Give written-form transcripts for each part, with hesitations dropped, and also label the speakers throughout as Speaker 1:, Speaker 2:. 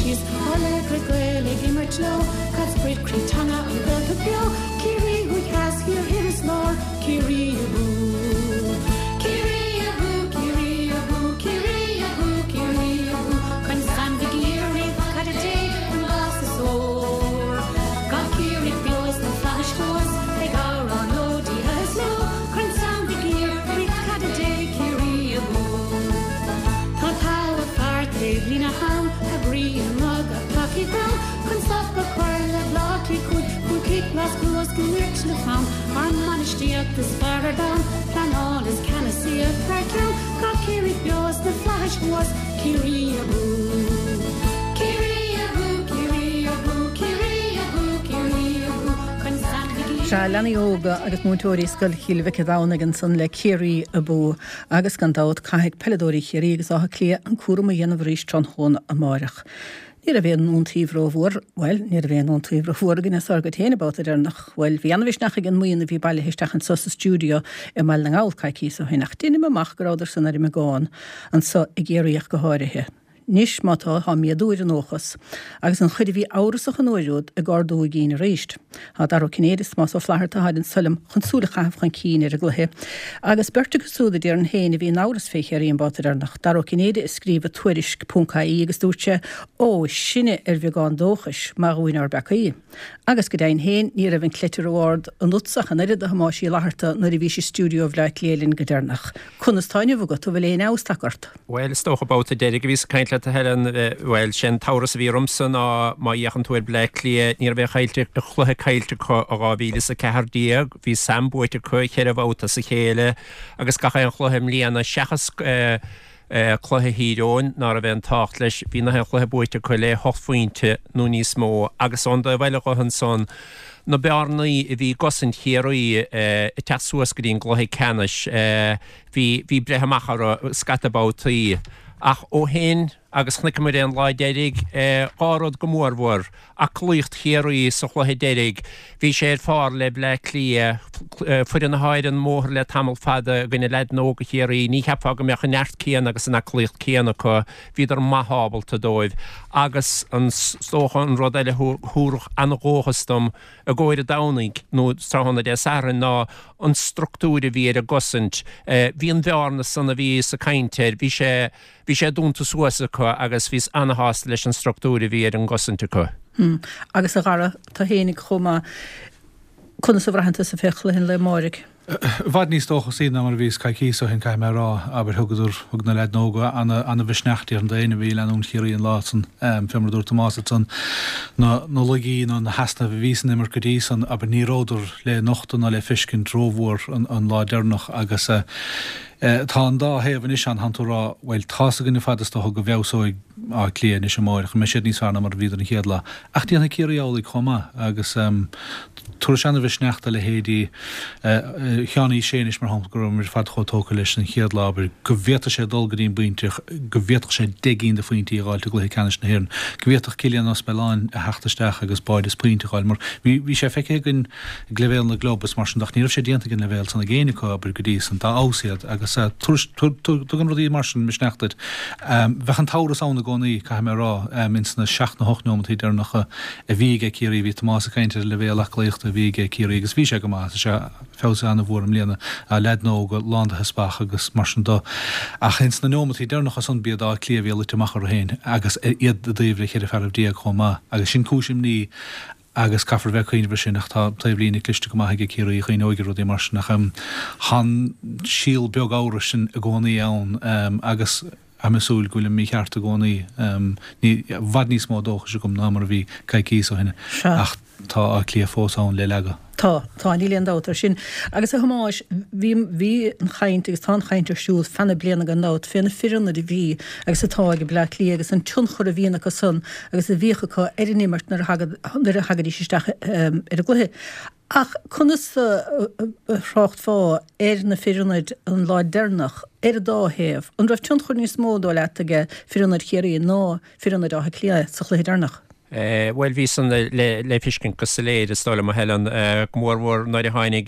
Speaker 1: síos, Ár laochra Gael ag imirt leo, Cad sprid, croí, teanga, an Ghaeltacht beo, Ciarraí thuaidh theas, thiar, thoir is lár, Ciarraí abú! Ciarraí abú, Ciarraí abú, Ciarraí abú, Ciarraí abú, Corn Sam Mhig Uidhir, Rí Caide Dé, an glas is ór. Gabh Ciarraí beo sna flaithis thuas, ag amhrán leo, Dia is leo, Corn Sam Mhig Uidhir, Rí Caide Dé, Ciarraí abú! Tá togha fear taobh líne thall, a gcroí i mbogadh tacaí dall, chun stop a chur le Bleá Cliath Chúig chic lasc luasc imirt le fonn, ár mbainistíocht is fearr ar domhan, pleanáil is ceannasaíocht thar ceann, Gabh Ciarraí beo sna flaithis thuas, Ciarraí abú! Ciarraí abú! Ciarraí abú! Ciarraí abú! Ciarraí abú! Corn Sam Mhig Uidhir.
Speaker 2: Sea, leanaí óga agus múinteoirí Scoil Chill Mhic an Domhnaigh ansan le Ciarraí Abú. Agus gan dabht caithfidh peileadóirí Chiarraí agus Átha Cliath an cúram a dhéanamh arís tráthnóna amáireach. Ní raibh aon iontaoibh rómhór, bhuel, ní raibh aon iontaoibh rómhór againn as ár gcuid féin an babhta deireanach. Bhuel, bhí ana-mhisneach ag an mbuíon a bhí bailithe isteach anso sa stiúideo i mBaile na nGall coicíos ó shin ach deinim amach go rabhadar san ar an mbeagán anso i gCiarraí ach go háirithe. Anois, má tá, tá méadú ar an ndóchas, agus an chuid a bhí amhrasach an uair úd ag ardú a gcinn arís. Tá Dara Ó Cinnéide is Tomás Ó Flatharta atáid anso liom chun súil a chaitheamh chun cinn ar an gcluiche. Agus beirt acu súd a déarfainn féin a bhí in amhras fé Chiarraí an babhta deireanach. Dara Ó Cinnéide a scríobh i Tuairisc ponc ie agus dúirt sé, Ó, sinne ar bheagán dóchais, maith dhúinn ár bpeacaí. Agus go deimhin féin ní raibh an cleite ró-ard ionatsa ach an oiread a Thomáis Uí Fhlatharta nuair a bhís i stiúideo Bhaile Átha Cliath linn go deireanach. Conas tá inniu agat? An bhfuil aon fheabhas tagtha ort?
Speaker 3: Bhuel, is dócha babhta deiridh a bhíos ag caint leat a Helen, bhuel, sé an t-amhras a bhí ormsa ná má fhéachann tú ar Bleá Cliath, ní raibh aon chaillte, chluiche caillte acu ó 2014, bhí Sam buaite acu cheithre bhabhta as a chéile agus gach aon chluiche i mbliana seachas cluiche Thír Eoghain ná raibh aon tábhacht leis, bhí nach aon chluiche buaite acu le hocht phointe nó níos mó agus ón dtaobh eile dhe ansan, na bearnaí a bhí i gcosaint Chiarraí ag teacht suas go dtí an gcluiche ceannais, bhí, bhí breith amach orthu scata babhtaí. Ach ó shin, agus chonaiceamar é an lá deiridh, dhá rud go mórmhór, aclaíocht Chiarraí sa chluiche deiridh, bhí sé ar phár le Bleá Cliath, foireann atá ar an mbóthar le tamall fada i gcoinne leaideanna óga Chiarraí, ní cheapfá go mbeadh an neart céanna agus an aclaíocht céanna acu, bhíodar maith ábalta dóibh. Agus an, is dócha an rud eile a thabharfadh an-dhóchas dom i gcomhair an Domhnaigh nó tráthnóna Dé Sathairn ná an structúr a bhí ar an gcosaint. Bhí an bhearna san a bhíos ag caint air, bhí sé, bhí sé dúnta suas acu agus bhíos ana-shásta leis an structúr a bhí ar an gcosaint acu.
Speaker 2: Agus a Dhara, tú fhéinig chomh maith, conas a bhraitheann tusa fé chluiche an lae amáirigh?
Speaker 4: I bhfad níos dóchasaí ná mar a bhíos coicíos ó shin, caithfidh mé a rá. Abair, thugadar, thug na leaideanna óga ana-mhisneach déarfainn d'éinne a bhí ag leanúint Chiarraí an lá san. Fé mar a dúirt Tomás ansan, na laigí nó na heasnaimh a bhí san imirt go dtí san, abair, ní rabhadar le nochtadh ná le feiscint rómhór an lá deireanach agus tá an dá thaobh anois ann, thánn tú ag rá, bhuel, tá's againn ar fad is dócha go bhfeabhsóidh Áth Cliath anois amáireach, go mbeidh siad níos fearr ná mar a bhíodar an chéad lá. Ach déanfaidh Ciarraí amhlaidh chomh maith agus tabharfaidh sé ana-mhisneach do leithéidí Sheáin Uí Shé anois, mar shampla, go raibh muid ar fad chomh tógtha leis an chéad lá, abair, go bhféadfadh sé dul go dtí an bpointe go bhféadfadh sé 10 gcinn de phointí a dh'fháilt i gcluiche ceannais na hÉireann, go bhféadfadh Cillian Ó Spealáin a theacht isteach agus báide is pointe a dh'fháil mar bhí bhí sé feicthe againn ag leibhéal na gclub is mar sin de ach ní raibh sé déanta ag an leibhéal san ag éinne acu, abair, go dtí san, dá fheabhas iad agus tugann rudaí mar sin misneach duit. Bheadh an t-amhras ann i gcónaí, caithfidh mé a rá, ins na seacht nó hocht neomataí deireanacha a bhí aige Ciarraí. Bhí Tomás ag caint ar an leibhéal aclaíochta a bhí aige Ciarraí agus bhí sé go maith. Tá sé feabhsaithe an-mhór i mbliana. Leaideanna óga lán de theaspach agus mar sin de. Ach ins na neomataí deireanacha san b'iad Áth Cliath a bhí ag luite amach orthu féin agus iad i dtaobh le cheithre fearaibh déag chomh maith. Agus sin cúis imní agus caithfear bheith ag cuimhneamh ar sin ach tá taobhlíne cliste go maith aige Ciarraí a chuimhneoidh ar rudaí mar sin ach tá an síol beag amhrais sin i gcónaí ann agus tá mé ag súil go bhfuilim mícheart i gcónaí. Ní, i bhfad níos mó dóchais agam ná mar a bhí coicíos ó shin ach tá Áth Cliath fós ann le leagadh.
Speaker 2: Tá, tá, níl aon dabht air sin. Agus a Thomáis, bhí, bhí an chaint agus tá an chaint ar siúl feadh na bliana gan dabht fé na fir ionaid a bhí agus atá ag Bleá Cliath agus an tionchar a bhíonn acu san agus a bhíodh acu ar an imirt nuair a nuair a thagaidís isteach ar an gcluiche. Ach conas a thráchtfá ar na fir ionaid an lá deireanach ar an dá thaobh? An raibh tionchar níos mó, dóigh leat, ag fir ionaid Chiarraí ná fir ionaid Átha Cliath sa chluiche deireanach?
Speaker 3: Bhuel, bhí san le feiscint go soiléir, is dóigh liom, a Helen, go mór mhór nuair a tháinig,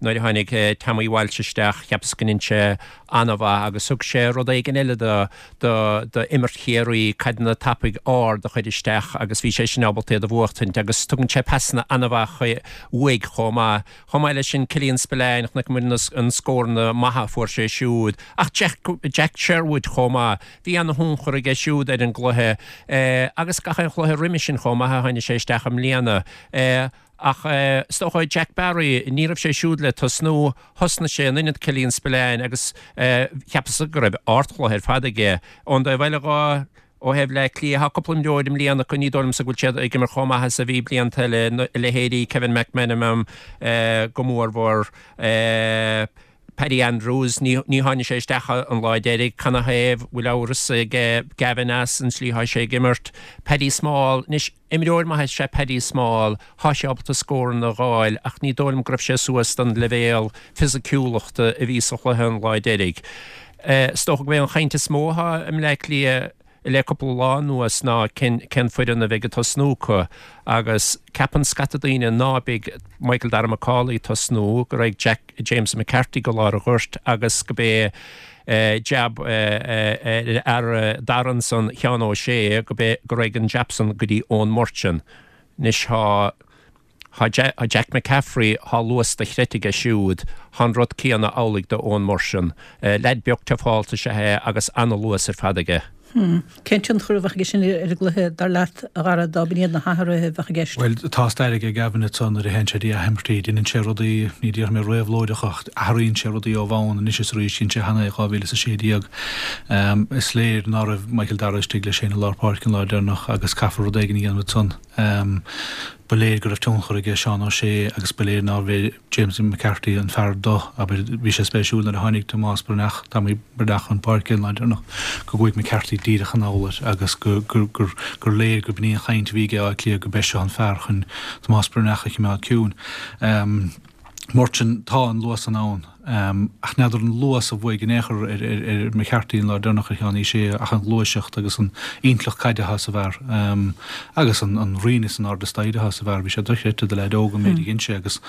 Speaker 3: nuair a tháinig Tommy Walsh isteach, cheapas go ndein sé an-mhaith agus thug sé rud éigin eile do, do, do imirt Chiarraí, caideanna tapaidh ard a chur isteach agus bhí sé sin ábalta iad a bhuachtaint agus tugann sé pasanna an-mhaith uaidh chomh maith. Chomh maith leis sin, Killian Spillane, chonaic muid na scóranna maithe a fuair sé siúd, ach Jack, Jack Sherwood chomh maith. Bhí ana-thionchar aige siúd ar an gcluiche agus gach aon chluiche roimis sin chomh maith a tháinig sé isteach i mbliana. Ach is dócha Jack Barry, ní raibh sé siúd le tosnú, thosnaigh sé in ionad Killian Spillane agus cheapas go raibh ardchluiche ar fad aige. Ón dtaobh eile dho, ó thaobh Bhleá Cliath, tá cúpla imreoir i mbliana acu, ní dóigh liomsa go bhfuil siad ag imirt chomh maith is a bhí blianta eile, leithéidí Kevin McManamon go mórmhór. Paddy Andrews, ní tháinig sé isteach an lá deiridh, canathaobh, bhfuil amhras ag Gavin as an tslí thá sé ag imirt. Paddy Small, anois, imreoir maith is ea Paddy Small, thá sé ábalta scóranna a dh'fháil ach ní dóigh liom go raibh sé suas don leibhéal fisiciúlachta a bhí sa chluiche an lá deiridh. Is dócha go b'é an chaint is mó athá i mBleá Cliath le cúpla lá anuas ná cén foireann a bheidh ag tosnú acu agus ceapann scata daoine ná beidh Michael Darragh Macauley ag tosnú, go raghaidh Jack James McCarthy go lár an ghoirt agus go b'é jab ar fhear Dara ansan, Sheán O'Shea, go b'é go raghaidh an jab san go dtí Eoin Murchan. Anois thá. Thá Jack McCaffrey, thá luas dochreidte aige siúd, thá an rud céanna amhlaidh do Eoin Murchan. Leaid beag tufálta is ea é agus ana-luas ar fad aige.
Speaker 2: Cén tionchar a bheadh aige sin ar an gcluiche, dar leat, a Dhara, dá b'in iad na hathruithe a bheadh i gceist?
Speaker 4: Bhuel, tá stair aige Gavin ansan nuair a théann sé dtí athimirtí, déanann sé rudaí, ní déarfaidh mé réabhlóideacha ach athraíonn sé rudaí ó bhonn anois is arís, dhein sé cheana é 2016. Is léir ná raibh Michael Darragh istigh leis féin i lár páirce an lá deireanach agus caithfear rud éigin a dhéanamh ansan. Ba léir go raibh tionchar aige Seán O'Shea agus ba léir nárbh é James McCarthy an fear do, abair. Bhí sé spéisiúil nuair a tháinig Tomás Breathnach, Tommy Breathnach chun páirce an lá deireanach go gcuaigh McCarthy díreach anall air agus gur léir go b'in í an chaint a bhí aige Áth Cliath go b'é seo an fear chun Tomás Breathnach a chimeád ciúin. Murchan, tá an luas san ann, ach n'fheadar an luas a bhuaigh in aon chor ar McCarthy an lá deireanach ar Sheán Uí Shé ach an ghluaiseacht agus an intleacht caide atá sa bhfear agus an rian is an airde staighre atá sa bhfear. Bhí sé dochreidte do leaid óg an méid a dhein sé agus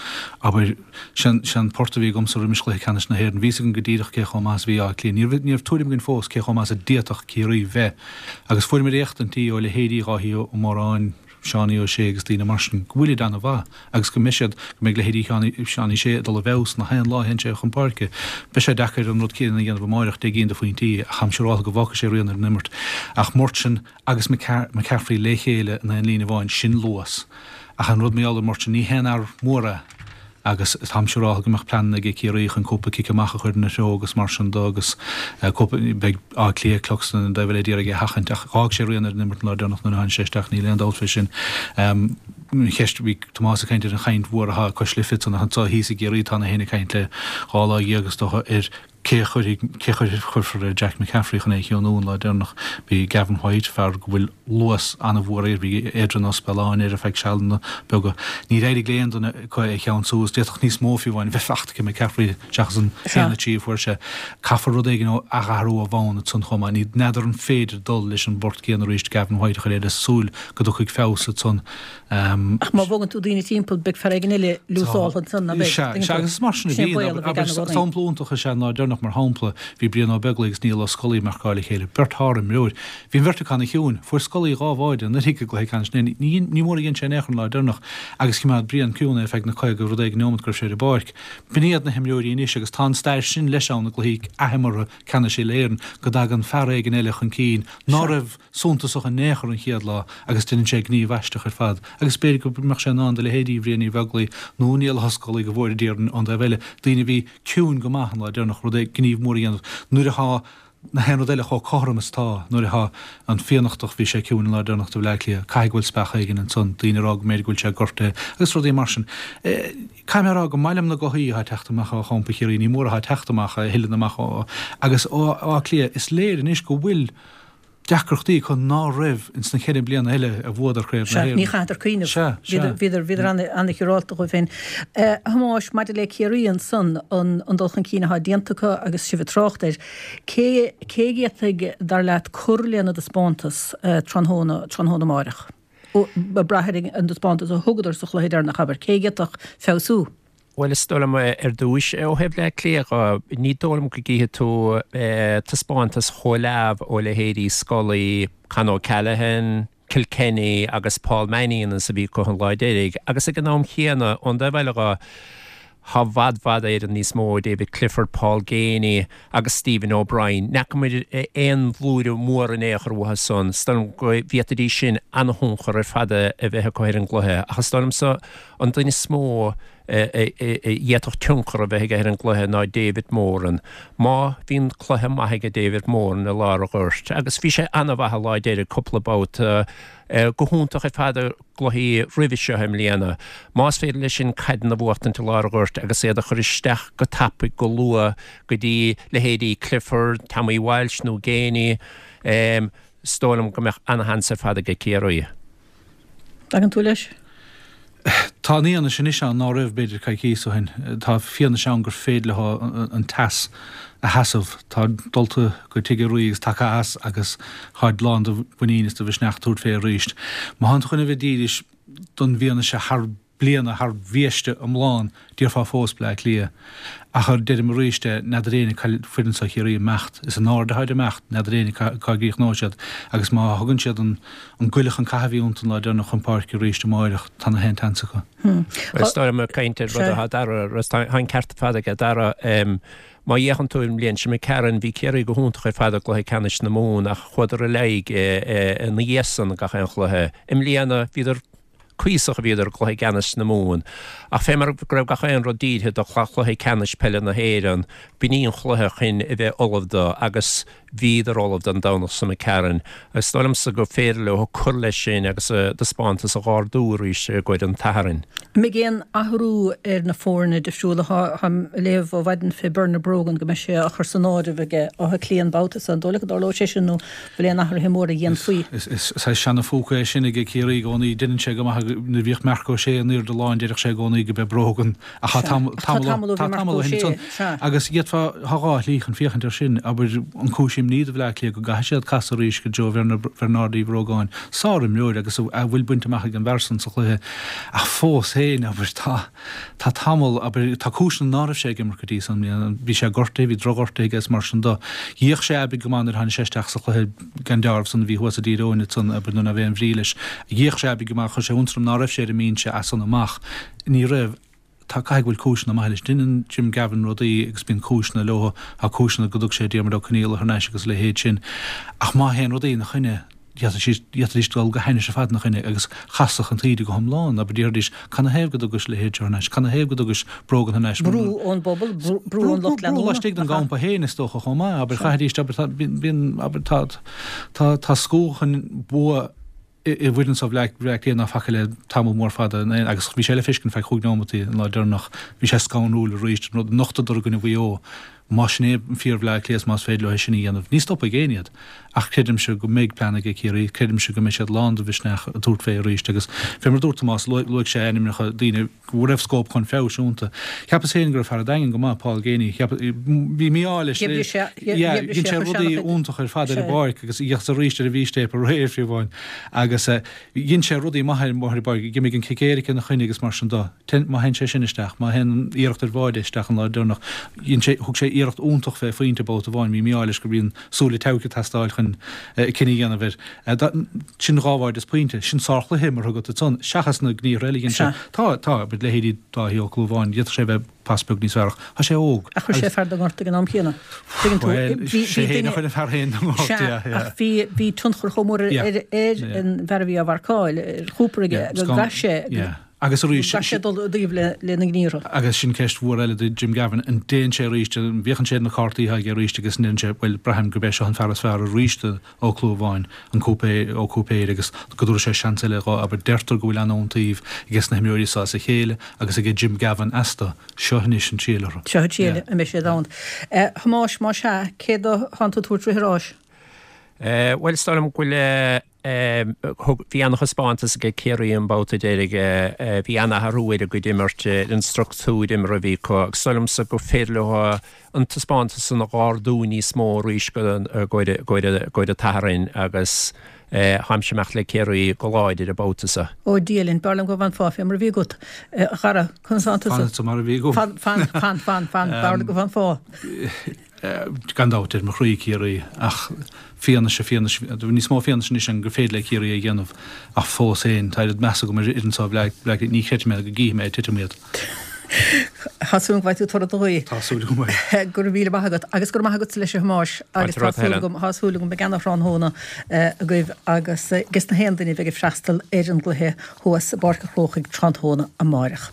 Speaker 4: abair, sé an port a bhí agamsa roimis chluiche ceannais na hÉireann. Bhí fhios againn go díreach cé chomh maith is a bhí Áth Cliath. Ní raibh ní raibh tuairim againn fós cé chomh maith is a d'fhéadfadh Ciarraí bheith agus fuaireamar éachtaintí ó leithéidí Dháithí Ó Móráin, Seánie Ó Sé agus daoine mar sin, go bhfuilid ana-mhaith agus go mbeidh siad, go mbeidh leithéidí Sheánie Uí Shé ag dul i bhfeabhas na haon lá a théann sé chun páirce. Beidh sé deacair an rud céanna a dhéanamh amáireach, 10 gcinn de phointí, ach táim siúráltha go bhfágfaidh sé rian ar an imirt. Ach Murchan agus McCaffrey le chéile in aon líne amháin, sin luas. Ach an rud mar gheall ar Murchan, ní haon fhear mór é. agus táim siúráltha go mbeadh pleananna aige Ciarraí chun cúpla cic amach a chur ina threo agus mar sin do agus cúpla, beidh Áth Cliath, Cluxton an taobh eile d'iarraidh é a sheachaint ach dh'fhág sé rian ar an imirt an lá deireanach nuair a tháinig sé isteach, níl aon dabht fé sin. An cheist, bhí Tomás ag caint ar an chaint mhór atá ag Cois Life ansan ach anso thíos i gCiarraí tá na héinne ag caint le dhá lá dhéag is dócha ar Cé a chuirfidh, cé a chuirfear ar Jack McCaffrey chun é a chiúnú an lá deireanach? Bhí Gavin White, fear go bhfuil luas an-mhór air, bhí Adrian Ó Spealáin air ar feadh sealanna beaga. Níor éirigh le aon duine acu é a cheansú agus d'fhéadfadh níos mó fiú amháin a bheith fachta ag McCaffrey seachas an haon a trí a fuair sé. Caithfear rud éigin a athrú ó bhonn ansan chomh maith. Ní, n'fheadar an féidir dul leis an bport céanna arís, Gavin White a chur air le súil go dtiocfaidh feabhas ansan.
Speaker 2: Ach má bhogann tú daoine timpeall, beidh fear éigin eile lúsáltha ansan, ná beidh?
Speaker 4: Sea, sea, agus is mar sin a bhíonn. Abair, sampla iontach is ea an lá deireanach, mar shampla, bhí Brian Ó Beaglaoich agus Niall Ó Scolaí ag marcáil a chéile, beirt shár-imreoir. Bhí an bheirt acu ana-chiúin. Fuair Scolaí dhá bháide anuraidh i gcluiche ceannais na hÉireann. Ní, ní mór a dhein sé in aon chor an lá deireanach, agus chimeád Brian ciúin é ar feadh na 50 rud éigin neomat go raibh sé ar an bpáirc. B'in iad na himreoirí anois agus tá an stair sin leis ann i gcluichí athimeartha ceannais uile-Éireann, go dtagann fear éigin eile chun cinn ná raibh suntasach in aon chor an chéad lá agus déanann sé gníomh aisteach ar fad agus b'fhéidir go mbeadh sé in ann do leithéidí Bhriain Uí Bheaglaoich nó Niall Ó Scolaí go bhfóire Dia orainn ón dtaobh eile, daoine a bhí ciúin go maith an lá deireanach, rud é gníomh mór a dhéanamh nuair atá na haon rud eile chomh cothrom is atá, nuair atá an Fiannachtach, bhí sé ciúin an lá deireanach do Bhleá Cliath, caithfidh go bhfuil speach éigin ansan, daoine ag rá go mb'fhéidir go bhfuil sé gortaithe agus rudaí mar sin. Caithfidh mé a rá go maith liom na gothaí atá ag teacht amach ó champa Chiarraí, ní mór atá ag teacht amach, a thuilleann amach ó agus ó Áth Cliath, is léir anois go bhfuil deacrachtaí acu ná raibh ins na ceithre bliana eile a bhuadar Craobh na
Speaker 2: Sea, ní
Speaker 4: hÉireann.
Speaker 2: chaitheadar cuimhneamh.
Speaker 4: Sea, sea.
Speaker 2: Bhíodar, bhíodar, bhíodar ana, ana-shiúrálta dhóibh féin. A Thomáis, maidir le Ciarraí ansan, an, an dul chun cinn atá déanta acu agus sibh ag trácht air, cé, cé a d'fhéadfadh, dar leat, cur lena dtaispeántas tráthnóna, tráthnóna amáireach? Ag brath ar an dtaispeántas a thugadar sa chluiche deireanach, abair, cé a d'fhéadfadh feabhsú?
Speaker 3: Bhuel, is dóigh liom, ar dtúis, ó thaobh Bhleá Cliath dho, ní dóigh liom go gcífidh tú taispeántas chomh leamh ó leithéidí Scully, Con O'Callaghan, Kilkenny agus Paul Mannion is a bhí acu an lá deiridh. Agus ag an am chéanna, ón dtaobh eile dho, Tá i bhfad bhfad Éireann níos mó ó David Clifford, Paul Geaney agus Stephen O'Brien. Ní fhacamar aon bhlúire mhór in aon chor uathu san. Is dóigh liom go bhféadfaidís sin an-thionchar ar fad a bheith acu ar an gcluiche. Ach is dóigh liomsa an duine is mó a d'fhéadfadh tionchar a bheith aige ar an gcluiche ná David Moran. Má bhíonn cluiche maith aige David Moran i lár an ghoirt, agus bhí sé an-mhaith an lá deiridh cúpla babhta, go hiontach ar fad i gcluichí roimhe seo i mbliana. Más féidir leis sin caideanna a bhuachtaint i lár an ghoirt agus iad a chur isteach go tapaidh, go luath go dtí leithéidí Clifford, Tommy Walsh nó Geaney, is dóigh liom go mbeadh ana-sheans ar fad aige Ciarraí.
Speaker 2: Tagann tú leis?
Speaker 4: Tá an fhianaise anois ann ná raibh, b'fhéidir, coicíos ó shin. Tá fianaise ann gur féidir leo an teas a sheasamh. Táid dulta go Tigh a' Rí agus tagtha as agus táid lán de mhuinín is de mhisneach tabhairt fé arís. Má thánn tú chun a bheith dílis don bhfianaise thar bliana, thar bhiaiste iomlán, Déarfá fós Bleá Cliath. Ach deirim arís é, n'fheadar éinne cá bhfuil foireann seo Chiarraí ag imeacht. Is in airde atáid ag imeacht, n'fheadar éinne cá gcríochnóidh siad. Agus má thugann siad an goile chun catha a bhí iontu an lá deireanach chun páirce arís amáireach, tá na haon tseans
Speaker 3: acu. Is dóigh liom ag caint ar rud atá Dara, tá an ceart ar fad aige Dara. Má fhéachann tú ar an mbliain seo imigh tharainn, bhí Ciarraí go hiontach ar fad i gcluiche ceannais na Mumhan ach chuadar i léig ina dhiaidh san gach aon chluiche. I mbliana, bhíodar Cuíosach a bhíodar i gcluiche ceannais na Mumhan, ach fé mar go raibh gach aon rud dírithe do chluiche ceannais peile na hÉireann, b'in í an chluiche chun a bheith ullamh do agus bhíodar ullamh don Domhnach seo imigh tharainn. Is dóigh liomsa gur féidir leo cur leis sin agus a dtaispeántas a dh'ardú arís i gcomhair an tSathairn.
Speaker 2: An mbeidh aon athrú ar na foirne difriúla? Táim ag léamh ó mhaidin fé Bernard Brogan go mbeidh sé á chur san áireamh aige Áth Cliath an babhta seo. An dóigh leat go dtarlóidh sé sin nó bhfuil aon athruithe móra a dhéanfaí.
Speaker 4: Is saghas seana-phúca é sin aige Ciarraí i gcónaí. Deineann sé go maith nuair a bhíodh Marc Ó Sé in airde an láin deireadh sé i gcónaí go b'é Brogan ach tá tamall tá tamall ó shin ansan. Agus d'fhéadfá, tá dhá shlí chun féachaint air sin, abair, an cúis imní do Bhleá Cliath go gcaithfidh siad casadh arís go Joe Bhernardi Uí Bhrógáin, sár-imreoir agus a bhfuil bainte amach ag an bhfear san sa chluiche ach fós féin, abair, tá. Tá tamall, abair, tá cúiseanna ná raibh sé ag imirt go dtí so i mbliana. Bhí sé gortaithe, bhí drochghortaithe aige is mar sin do. D'fhéach sé aibidh go maith nuair a tháinig sé isteach sa chluiche gan deáramh san a bhí thuas i dTír Eoghain ansan, abair, nuair ná raibh aon bhrí leis. D'fhéach sé aibidh go maith, chuir sé iontas orm ná raibh sé ar an mbinse as san amach. Ní raibh. Tá, caithfidh go bhfuil cúiseanna maithe leis. Deineann Jim Gavin rudaí agus bíonn cúiseanna leo. Tá cúiseanna go dtug sé Diarmuid Ó Conghaile thar n-ais agus a leithéid sin. Ach má théann rudaí ina choinne, D'fhéadfaidís dul go hainnis ar fad ina choinne agus chasfadh an taoide go hiomlán, abair, déarfaidís, canathaobh go dtugais a leithéid seo thar n-ais, canathaobh go dtugais Brogan thar n-ais?
Speaker 2: Brú ón bpobal, brú ón lucht
Speaker 4: leanúna. Brú laistigh den gcampa féin, is dócha, chomh maith, abair, chaithfidís, abair, tá, bíonn, abair, tá, tá, tá scúth chun bua i bhfoireann seo Bhleá Cliath ná faca le tamall mór fada, agus bhí sé le feiscint feadh chúig neomataí an lá deireanach, bhí sé scanrúil arís, an rud a nochtadar i gcoinne Mhaigh Eo. Más sin é an fíor-Bhleá Cliath is más féidir leo é sin a dhéanamh, ní stopfaidh éinne iad. Ach creidimse go mbeidh plean aige Ciarraí, creidimse go mbeidh siad lán de mhisneach ag tabhairt fé arís agus fé mar a dúirt Tomás, luaigh sé ainmneacha daoine go raibh scóip chun feabhais iontu. Cheapas féin go raibh fear an Daingin go maith, Paul Geaney, cheap, bhí mí-ádh leis, yeah, dhein sé rudaí iontacha ar fad ar an bpáirc agus fhéachas arís ar an bhfístéip aréir fiú amháin agus dhein sé rudaí maithe ar an bpáirc, d'imigh an cic éirice ina choinne agus mar sin de. Má théann sé sin isteach, má théann an iarracht ar bháide isteach an lá deireanach, dhein sé, thug sé iarracht iontach fé phointe babhta amháin, bhí mí-ádh leis go bhí an súile teilgthe ag teastáil chun cinneadh a dhéanamh air. Sin dhá bháide is pointe. Sin sárchluiche imeartha agat ansan, seachas na gníomhartha eile a dhein sé. Tá, tá, leithéidí Dáithí Ó Clúmháin, d'fhéadfadh sé a bheith pas beag níos fearr ach tá sé óg.
Speaker 2: Ach chuir sé fear den ngort ag an am céanna.
Speaker 4: Tuigeann tú, Bhuel, bhí, sé bhí féin a duine, chuir an fear féin den ngort, sea, yeah, yeah.
Speaker 2: ach bhí, bhí tionchar chomh mór ar, Yeah, ar, ar yeah. an bhfear a bhí á mharcáil, ar Chooper aige, Yeah, go
Speaker 4: gcaith sé, yeah. Agus
Speaker 2: arís, go gcaith sé dul i dtaobh le, lena ngníomhartha.
Speaker 4: Agus sin ceist mhór eile do Jim Gavin, an dtéann sé arís, an bhféachann sé ar na cártaí atá aige arís agus an ndeireann sé, bhuel, braithim gurb é seo an fear is fearr arís do Ó Clúmháin, an Cúipéir, Ó Cúipéir agus go dtabharfaidh sé seans eile dhó, abair, deirtear go bhfuil an-iontaoibh aige sna himreoirí seo as a chéile agus aige Jim Gavin astu. Seo anois an triail
Speaker 2: orthu. Seo an triail, an mbeidh siad ann. A Thomáis, más ea, cé dó thánn tú ag tabhairt rith an ráis?
Speaker 3: Bhuel, is dóigh liom go bhfuil, thug, bhí an-thaispeántas aige Ciarraí an babhta deiridh, bhí an-athrú ar a gcuid imirt, ar an structúr imeartha a bhí acu agus is dóigh liomsa gur féidir leo an taispeántas san a dh'ardú níos mó arís i gcomhair an tSathairn agus táimse ag imeacht le Ciarraí go láidir an babhta seo.
Speaker 2: Ó Dia linn, b'fhearr liom go bhfanfá fé mar a bhí agat, a Dhara, conas tánn tusa?
Speaker 4: Fanfadsa mar a bhí agam.
Speaker 2: Fan, fan, fan, fan, fan, b'fhearr liom go bhfanfá.
Speaker 4: Gan dabht, ar mo chroí Ciarraí, ach fianaise, fianaise, níos mó fianaise anois ann gur féidir le Ciarraí é a dhéanamh, ach fós féin, tá oiread measa agam ar fhoireann seo Bhleá Cliath, ní chreidfidh mé go gcífidh mé ag titim iad.
Speaker 2: Tá súil agam go bhfaighidh tú toradh do ghuí.
Speaker 4: Tá súil agam
Speaker 2: é. Go raibh míle maith agat agus go raibh maith agatsa leis a Thomáis agus tá súil agam, tá súil agam beidh ana-thráthnóna agaibh agus ages na haon duine a bheidh ag freastal ar an gcluiche thuas i bPáirc an Chrócaigh tráthnóna amáireach.